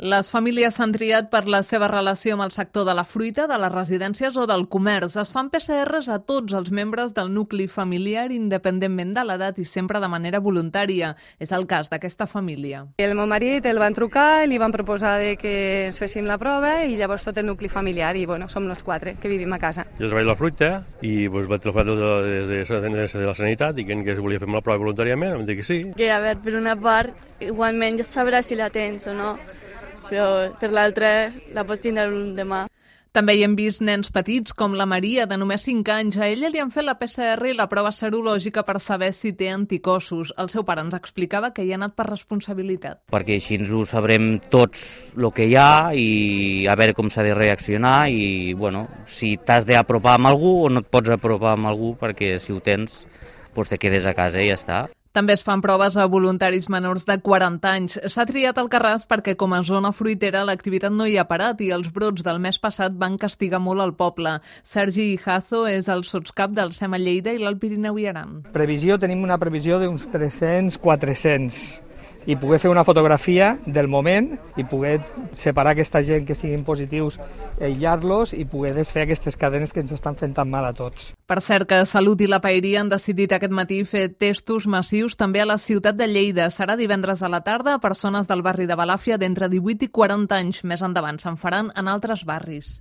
Les famílies s'han triat per la seva relació amb el sector de la fruita, de les residències o del comerç. Es fan PCRs a tots els membres del nucli familiar, independentment de l'edat i sempre de manera voluntària. És el cas d'aquesta família. El meu marit el van trucar i li van proposar que ens féssim la prova i llavors tot el nucli familiar i som els 4 que vivim a casa. Jo treballo la fruita i vaig telefar de la sanitat i que es volia fer la prova voluntàriament, em dic que sí. Que a veure, per una part, igualment ja sabràs si la tens o no, però per l'altra la pots tindre demà. També hi hem vist nens petits com la Maria, de només 5 anys. A ella li han fet la PCR i la prova serològica per saber si té anticossos. El seu pare ens explicava que hi ha anat per responsabilitat. Perquè així ens ho sabrem tots el que hi ha i a veure com s'ha de reaccionar i, bueno, si t'has d'apropar amb algú o no et pots apropar amb algú perquè si ho tens, doncs te quedes a casa i ja està. També es fan proves a voluntaris menors de 40 anys. S'ha triat Alcarràs perquè com a zona fruitera l'activitat no hi ha parat i els brots del mes passat van castigar molt el poble. Sergi Ijazo és el sotscap del SEMA Lleida i l'Alt Pirineu i Aran. Tenim una previsió d'uns 300-400 i poder fer una fotografia del moment i poder separar aquesta gent que siguin positius, aïllar-los i poder desfer aquestes cadenes que ens estan fent tan mal a tots. Per cert que Salut i la Paeria han decidit aquest matí fer testos massius també a la ciutat de Lleida. Serà divendres a la tarda a persones del barri de Balàfia d'entre 18 i 40 anys. Més endavant se'n faran en altres barris.